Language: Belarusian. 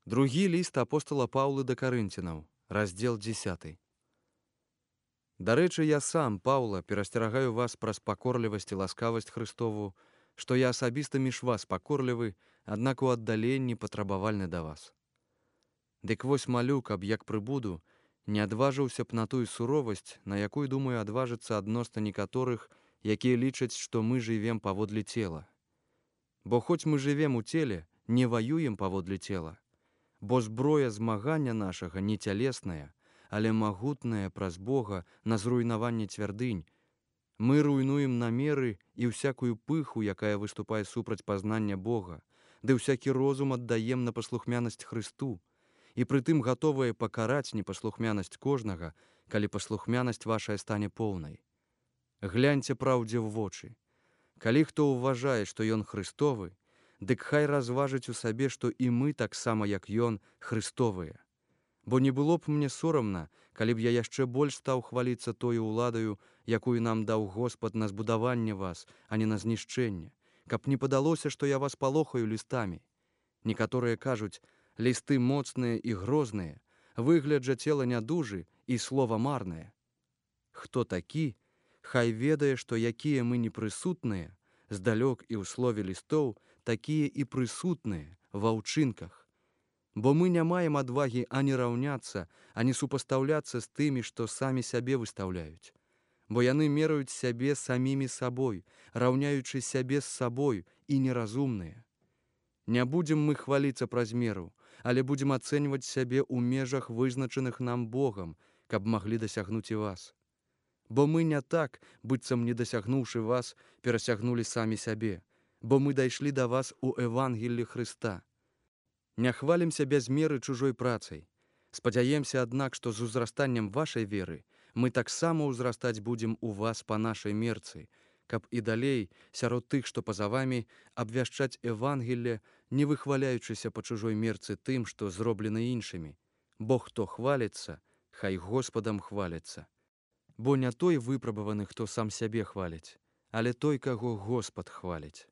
Другі ліст апостала Паўлы да Карынцінаў, раздзел 10. Дарэчы, я сам, Паўла, перасцерагаю вас праз пакорлівасць і ласкавасць Христову, што я асабіста між вас пакорлівы, аднак у аддаленні патрабавальны да вас. Дык вось малю, каб як прыбуду, не адважыўся б на тую суровасць, на якую, думаю, адважыцца адносна некаторых, якія лічаць, што мы жывем паводле цела. Бо хоць мы жывем у целе, не ваюем паводле цела, бо зброя змагання нашага не цялесная, але магутная праз Бога на зруйнаванне цвярдынь. Мы руйнуем намеры і ўсякую пыху, якая выступае супраць пазнання Бога, ды ўсякі розум аддаем на паслухмянасць Христу, і прытым гатовыя пакараць непаслухмянасць кожнага, калі паслухмянасць вашая стане поўнай. Гляньце праўдзе ў вочы. Калі хто ўважае, што ён Христовы, дык хай разважыць у сабе, што і мы таксама, як ён, Христовыя. Бо не было б мне сорамна, калі б я яшчэ больш стаў хваліцца тою ўладаю, якую нам даў Господ на збудаванне вас, а не на знішчэнне, каб не падалося, што я вас палохаю лістамі. Некаторыя кажуць, лісты моцныя і грозныя, выгляд жа цела нядужы і слова марнае. Хто такі, хай ведае, што якія мы непрысутныя, здалёк і ў слове лістоў, такія і прысутныя ва ўчынках. Бо мы не маем адвагі ані раўняцца, ані супастаўляцца з тымі, што самі сябе выстаўляюць. Бо яны мераюць сябе самімі сабой, раўняючы сябе з сабой і неразумныя. Не будзем мы хваліцца праз меру, але будзем ацэньваць сябе ў межах, вызначаных нам Богам, каб маглі дасягнуць і вас. Бо мы не так, быццам не дасягнуўшы вас, перасягнулі самі сябе, бо мы дайшлі да вас у Евангеллі Хрыста. Не хвалімся без меры чужой працай. Спадзяемся, аднак, што з узрастаннем вашай веры мы таксама ўзрастаць будзем у вас па нашай мерцы, каб і далей, сярод тых, што па-за вамі, абвяшчаць Евангелле, не выхваляючыся па чужой мерцы тым, што зроблены іншымі. Бо хто хваліцца, хай Господам хваліцца. Бо не той выпрабаваны, хто сам сябе хваліць, але той, каго Господ хваліць.